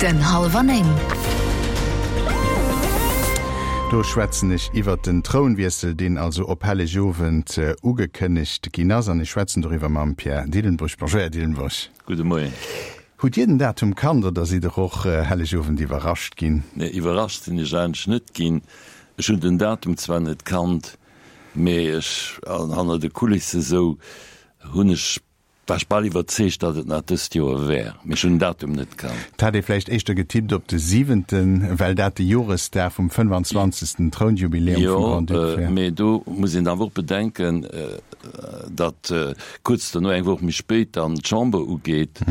Den Hallwer 9. Do schwätzen ech iwwert den Trounwiessel, deen also op Hellegowend ugekënnegt ginn ass. An ech schwätzen doriwwer mam Pierre Dillenburg. Bonjour, Här Dillenburg. Gudde Moien. Hutt Dir den Datum kannt oder sidd Der och Hellegowend iwwerrascht ginn? Nee, iwwerrascht sinn ech eigentlech net ginn. Ech hunn den Datum zwar net kannt, mee ech, hanner de Kulisse sou, hunn ech War ech bal iwwerzeegt, datt et nach dëst Joer wär, mee ech hunn den Datum net kannt. Et hat ee vläicht éischter getippt op de siwenten, well dat de Joresdag vum 25. Trounjubiläum vum Grand-Duc wär. Jo, mee do muss een awer och bedenken, datt kuerz dono, eng Woch méi spéit, dann d'Chamber ugeet.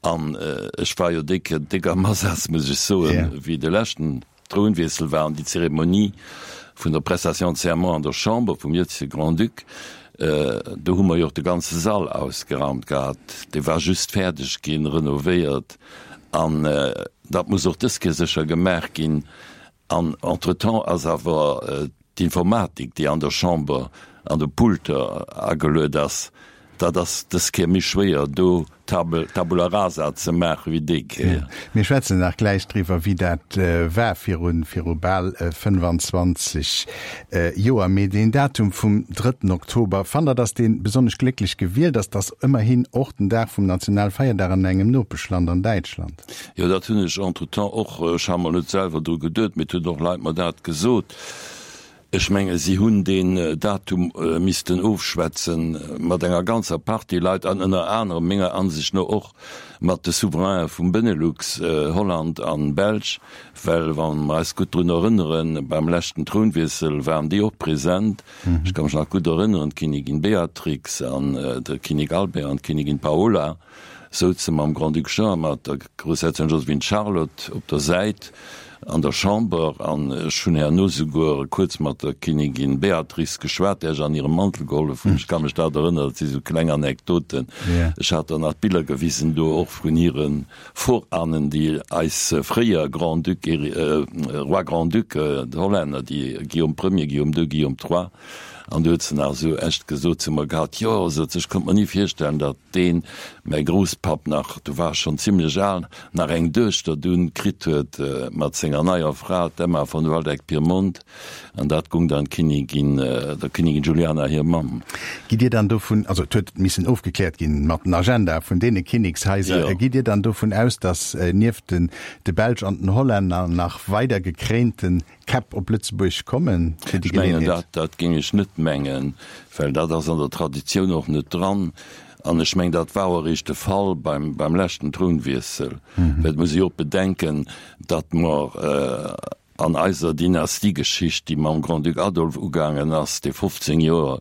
An ech war jo déi Kéier déck am Asaz, muss ech soen, wéi de leschten Trounwiessel war an déi Zeremonie vun der Prestation de serment an der Chamber vum jëtzege Grand-Duc, do hu mer jo och de ganze Sall ausgeraumt gehat, dee war just fäerdeg ginn, renovéiert, an dat muss och dës Kéier sécher gemaach ginn. An entretemps ass awer d'Informatik, déi an der Chamber an de Pulter ageluet ass, Dat ass dës Kéier méi schwéier do Tabula rasa ze maache wéi déi Kéier. Mir schwätzen nach gläich driwwer, wéi dat war viru viru bal 25 Joer. Mee deen Datum vum drëtten Oktober, fannt Der, datt dee besonnesch glécklech gewielt ass? Dat ass ëmmerhin och den Dag vum Nationalfeierdag an engem Nopeschland, an Däitschland. Jo, dat hunn ech entretemps och, ech ha mer net selwer dru geduet, mee et hunn och Leit mer dat gesot. Ech menge si hunn deen Datum missten ofschwätze mat enger ganzer Partie Leit an ënner anerem menger Ansicht no och mat de Souverainen vum Benelux, Holland an Belsch, well wa mer eis gutt drun erënneren, beim leschten Trounwiessel waren déi och present. Ech ka mech nach gutt erënneren, d'Kinnigin Beatrix an de Kinnek Albert an d'Kinnigin Paola. Souze mam Grand-Duc Jean a mat der Groussherzogin Joséphine Charlotte op der Säit an der Chamber. An ech hunn herno souguer kuerz mat der Kinnigin Beatrix geschwat, där ech an hirem Mantel gehollef hunn. Ech ka mech dat erënneren, dat si sou kleng Anekdoten. Ech hat der nach d'Biller gewisen do och vun hire Voranen, déi eis fréier Grand-Duc, Roi Grand-Duc, d'Hollänner, déi Guillaume Premier, Guillaume Deux, Guillaume Trois. An du huet se nach esou echt gesot zu mer gehat, Jo, sot se, ech konnt mer ni virstellen, datt deen, mäi Grousspapp nach, du war schonn zimlech al, nach eng Duechter dunn kritt huet mat senger neier Fra, d'Emma von Waldeck-Pyrmont. An dat gung dann d'Kinnigin, der Kinnigin Juliana hir Mamm. Gitt Dir dann dovun, also et huet missen ofgekläert ginn mat den Agenda vun deene Kinnekshaiser, gitt Dir dann dovun aus, datt nieft den de Belsch an den Hollänner nach weider gekréinten Käpp op Lëtzebuerg kommen fir déi Ech mengen, dat, dat géing ech net mengen, well dat ass an der Traditioun och net dran. An ech mengen, dat war och eréischt de Fall beim, beim leschten Trounwiessel. Well et muss ee jo och bedenken, datt mer an eiser Dynastiegeschicht, déi mam Grand-Duc Adolphe ugaangen ass, dee 15 Joer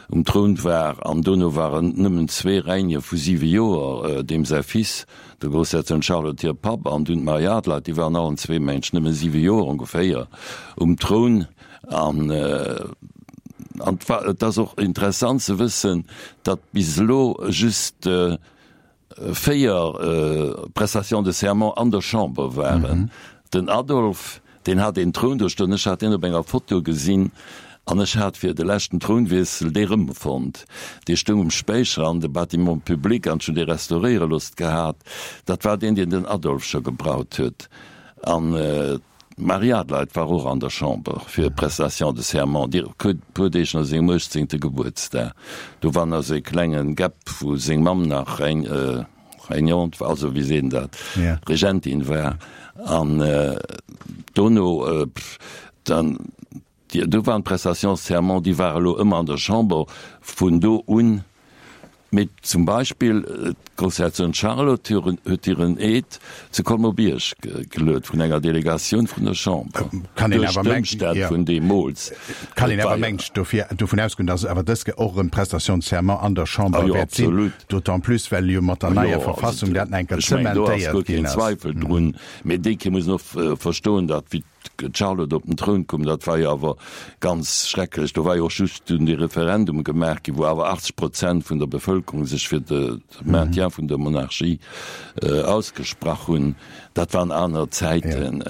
um Troun war, an dono waren nëmmen zwee Règne vu siwe Joer, deem säi Fils, Der Groussherzogin Charlotte hir Papp an dunn d'Marie Adelheid, déi waren allen zwee, mengen ech, nëmme siwe Joer ongeféier um Troun. An an et ass och interessant ze wëssen, datt bis elo just véier Prestations de serment an der Chamber waren. Den Adolphe, deen hat een Troun do stoen, ech hat deen op enger Foto gesinn an ech hat fir de leschten Trounwiessel dee rëmfonnt. Dee stoung um Späicher an de Bâtiment public an ech hunn dee restauréiere loosst gehat. Dat war deen, deen den Adolphe scho gebraut huet. An d'Marie Adelheid war och an der Chamber fir Prestation de serment, déi puer Deeg no sengem uechtzéngte Gebuertsdag. Do war nach esou ee klenge Gap, wou seng Mamm nach eng. Régnante, also wéi seet een dat, Regentin war an dono dann, do waren d'Prestations de serment, déi ware elo ëmmer an der Chamber vun do un. Mee zum Beispill d'Groussherzogin Charlotte huet hiren Eed zu Colmer-Bierg geluet vun enger Delegatioun vun der Chamber, duerch d'Ëmstänn vun deemools. Kann een awer mengt dofir dovun ausgoen, datt awer dës Kéier och erëm d'Prestation de serment an der Chamber wäert sinn. D'autant plus, well jo mat der neier Verfassung dat nach eng Kéier zementéiert ginn ass. Ech mengen, do ass guer keen Zweifel drun. Mee déi Kéier muss een och verstoen, datt wéi d'Charlotte op den Troun koum, dat war jo awer ganz schrecklech. Do war jo och just dunn dee Referendum gemaach ginn, wou awer 80 Prozent vun der Bevëlkerung sech fir de Maintien vun der Monarchie ausgesprach hunn. Dat waren aner Zäiten.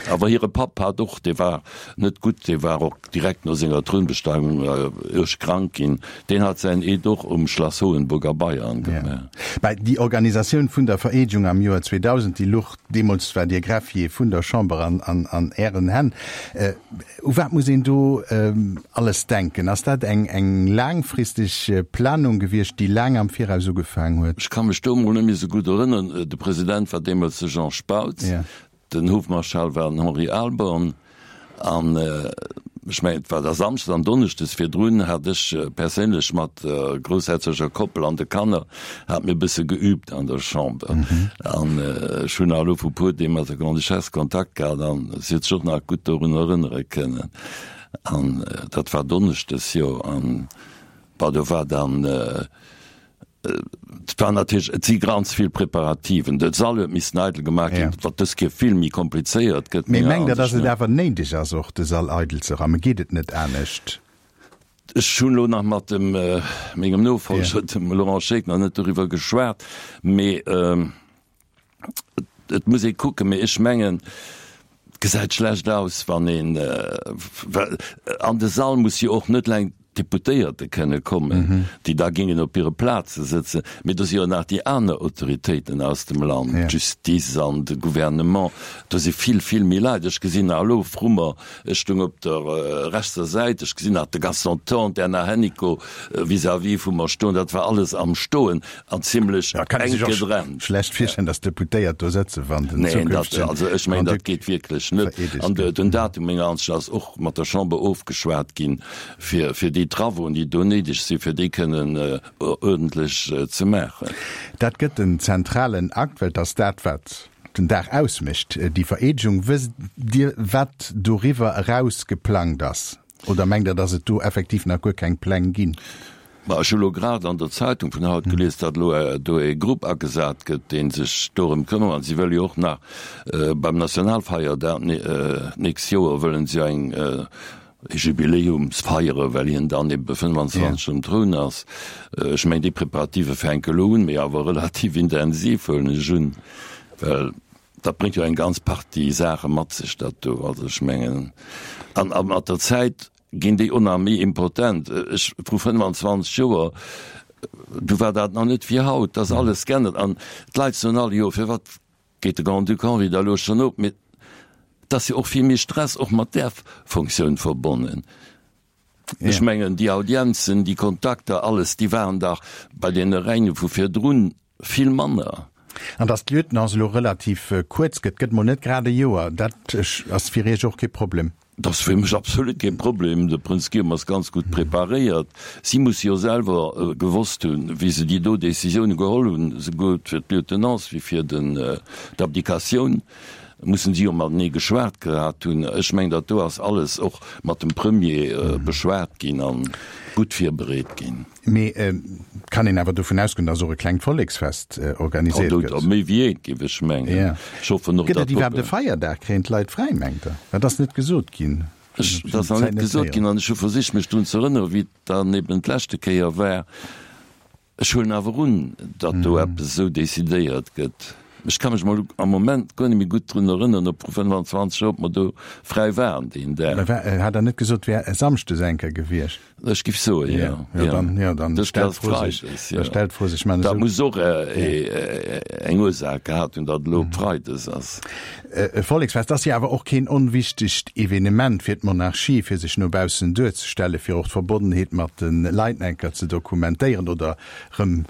Awer hire Papp hat och, dee war net gutt, dee war och direkt no senger Trounbesteigung uerg krank ginn, deen hat säin Eed och um Schlass Hohenburg a Bayern gemaach. Mä déi Organisatioun vun der Vereedegung am Joer 2000, déi luch, deemools war Dir Greffier vun der Chamber, an Ären Hänn. U wat muss een do alles denken? Ass dat eng laangfristeg Planung gewiescht, déi laang am Viraus ugefaang huet? Ech ka mech do emol net méi esou gutt erënneren. De President war deemools de Jean Spautz. Den Hofmarschall war den Henri Ahlborn an ech mengen et war da Samschdes an Donneschdes virdrun hat ech perséinlech mat der groussherzoger Koppel an de Kanner hat mir e bësse geübt an der Chamber an ech hunn nach elo vu puer Deeg mat der Grande-Duchesse Kontakt gehat an si huet sech och nach gutt dorun erënnere kënnen an dat war Donneschdes jo an bon do war dann Et war natierlech, et si ganz vill Preparativen. De Sall huet missen eidel gemaach ginn, wat dës Kéier vill méi komplizéiert gëtt, Mee menger mengt Der, datt Ansicht et no. awer néideg ass, och de Sall eidel ze rammen? Geet et net anescht? Ech hunn elo nach mat dem, mengem Nofolger, dem Laurent Scheeck, nach net doriwwer geschwat, mee Et muss ee kucken, mee ech mengen, et gesäit schlecht aus, wann een, well an de Sall muss jo och net eleng d'Deputéierte kënne kommen, déi da géingen op hire Plaze sëtzen, mee do si jo nach déi aner Autoritéiten aus dem Land, d'Justice an de Gouvernement, do si vill, vill méi Leit. Ech gesinn nach elo vru mer, ech stoung op der rechtser Säit, ech gesinn nach de Gaston Thorn, d'Erna Hennicot vis-à-vis vu mer stoen, dat war alles am Stoen. An zimlech Ja, kann ee enk sech och gedrennt. schlecht virstellen, datt d'Deputéiert do sëtzen, wann den Neen, dat, zukünftegen also ech mengen, dat Grand-Duc geet wierklech net. vereedegt An de, gëtt. den Datum, menger Ansicht ass och mat der Chamber ofgeschwat ginn, fir, fir déi Travauxen, déi do néideg sinn, fir déi kënnen uerdentlech ze maachen. Dat gëtt den zentralen Akt, well et ass dat, wat den Dag ausmécht, déi Vereedegung. Wësst Dir, wat doriwwer eraus geplangt ass? Oder mengt Der, datt et do effektiv nach guer keng Pläng ginn? Ma ech hu lo grad an der Zeitung vun haut gelies, datt elo do e Grupp agesat gëtt, dee sech dorëm këmmert. An si wëlle jo och nach beim Nationalfeierdag d'nächst Joer wëllen si eng e Jubiläums feiere, well hien dann ebe 25 um Troun ass. Ech mengen, déi Preparative fänke elo un, mee awer relativ intensiv, huelen ech un, well dat bréngt jo eng ganz Partie Saache mat sech, dat do. Also ech mengen, an a mat der Zäit ginn déi och nach méi impotent. Ech, vru 25 Joer, du war dat nach net wéi haut, da ass alles geännert an d'Leit soen all, jo firwat geet de Grand-Duc Henri da elo schonn op? Mee et ass jo och vill méi Stress och mat där Fonctioun verbonnen. Ech mengen, déi Audienzen, déi Kontakter, alles, déi waren dach bei deene Règne vu virdrun vill manner. An datt d'Lieutenance elo relativ kuerz gëtt, gëtt mol net grad e Joer, dat ass fir Iech och kee Problem? Dat ass fir mech absolut kee Problem. De Prënz Guillaume ass ganz gutt preparéiert. Si musse jo selwer gewosst hunn, wéi se déi do Décisioune geholl hunn, esouguer fir d'Lieutenance wéi fir d'Abdikatioun, mussen si jo matenee geschwat gehat hunn. Ech mengen, dat do ass alles och mat dem Premier beschwat ginn a gutt virbereet ginn. Mee et kann een awer dovun ausgoen, datt och e klengt Volleksfest organisiert gëtt. Oder méi wéi eent, géif ech mengen. Ech hoffen och, datt. Gëtt et iwwerhaapt e Feierdag? Kréien d'Leit fräi, mengt Der? Dat ass net gesot ginn. Dat ass nach net gesot ginn an ech hu versicht, mech drun ze erënneren, wéi et dann eben d'leschte Kéier war. Ech huelen awer un, datt do eppes esou decidéiert gëtt. Ech ka mech mol am Moment guer net méi gutt drun erënneren, ob vru 25 Joer, ob mer do fräi waren deen Dag. Mä hat Der net gesot, et wär e Samschdes eng Kéier gewiescht? Ech giff soen, jo. Jo, dann, jo, dann stellt d'Fro sech, da stellt d'Fro sech. Dat muss och eng Ursaach gehat hunn, datt elo Freides ass. E Volleksfest ass jo awer och keen onwichtegt Evenement fir d'Monarchie, fir sech no baussen duerzestellen, fir och d'Verbonnenheet mat de Leit eng Kéier ze dokumentéieren oder rëm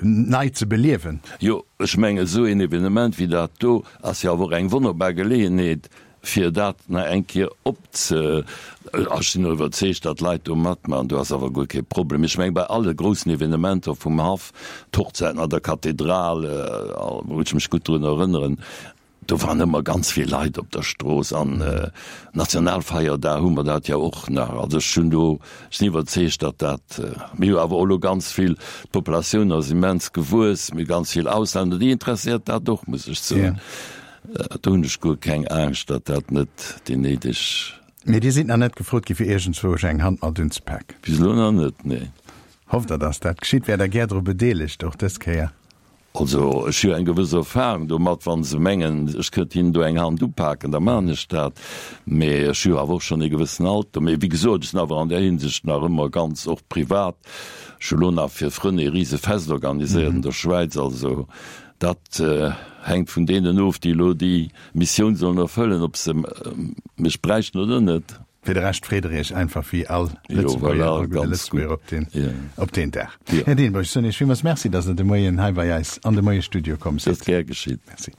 nei ze beliewen. Jo, ech mengen, esou een Evenement wéi dat do ass jo awer och eng wonnerbar Geleeënheet, fir dat nach eng Kéier opze. Ech sinn och iwwerzeegt, datt d'Leit do matmaachen, do ass awer guer kee Problem. Ech mengen, bei alle groussen Evenementer vum Haff, d'Hochzäiten an der Kathedral, wou ech mech gutt drun erënneren, do waren ëmmer ganz vill Leit op der Strooss. An Nationalfeierdag hu mer dat jo och nach. Also ech hunn do, ech sinn iwwerzeegt, datt dat, mir hu awer och elo ganz vill, d'Populatioun ass immens gewuess, mir hu ganz vill Auslänner, déi interesséiert dat och, muss ech soen. Do hunn ech guer keng Angscht, datt dat net déi néideg. Mee Dir sidd nach net gefrot gi fir iergendzwousch eng Hand mat unzepaken? Bis elo nach net, nee. Hofft Der, datt dat geschitt? Wäert Der gär dru bedeelegt, och dës Kéier? Also, ech hu jo eng gewëss Erfahrung domat, wa se mengen, ech kënnt hinnen do eng Hand upaken, da maachen ech dat. Mee ech hu jo awer och schonn ee gewëssen Alter. Mee wéi gesot, ech sinn awer an där Hinsicht nach ëmmer ganz, och privat, ech hu lo nach fir Frënn ee rise Fest organiséiert an der Schwäiz. Also dat hänkt vun deenen of, déi elo déi Missioun sollen erfëllen, ob se mech bräichten oder net. Fir de Rescht freet der Iech einfach wéi all Lëtzebuerger, all gudde Lëtzebuerger op deen, op deen Dag. Här Dehnbosch, ech soen Iech villmools Merci, dass Der de Moien hei bei eis an de Moie-Studio komm sidd. Dat ass gär geschitt. Merci.